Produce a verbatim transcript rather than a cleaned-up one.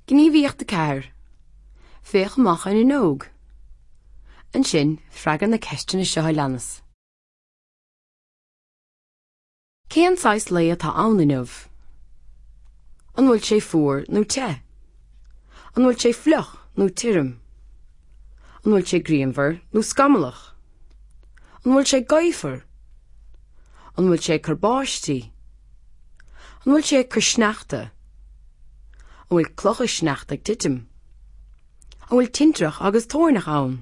Gníomhaíocht a ceathair. Féach amach an fhuinneog. Ansin, freagair na ceisteanna seo a leanas. Cén saghas lae atá ann inniu? An bhfuil sé fuar nó te? An bhfuil sé fliuch nó tirim? An bhfuil sé grianmhar nó scamallach? An bhfuil sé gaofar? An bhfuil sé ag cur báistí? An bhfuil sé ag cur sneachta? An bhfuil clocha sneachta ag titim? An bhfuil tintreach agus toirneach ann?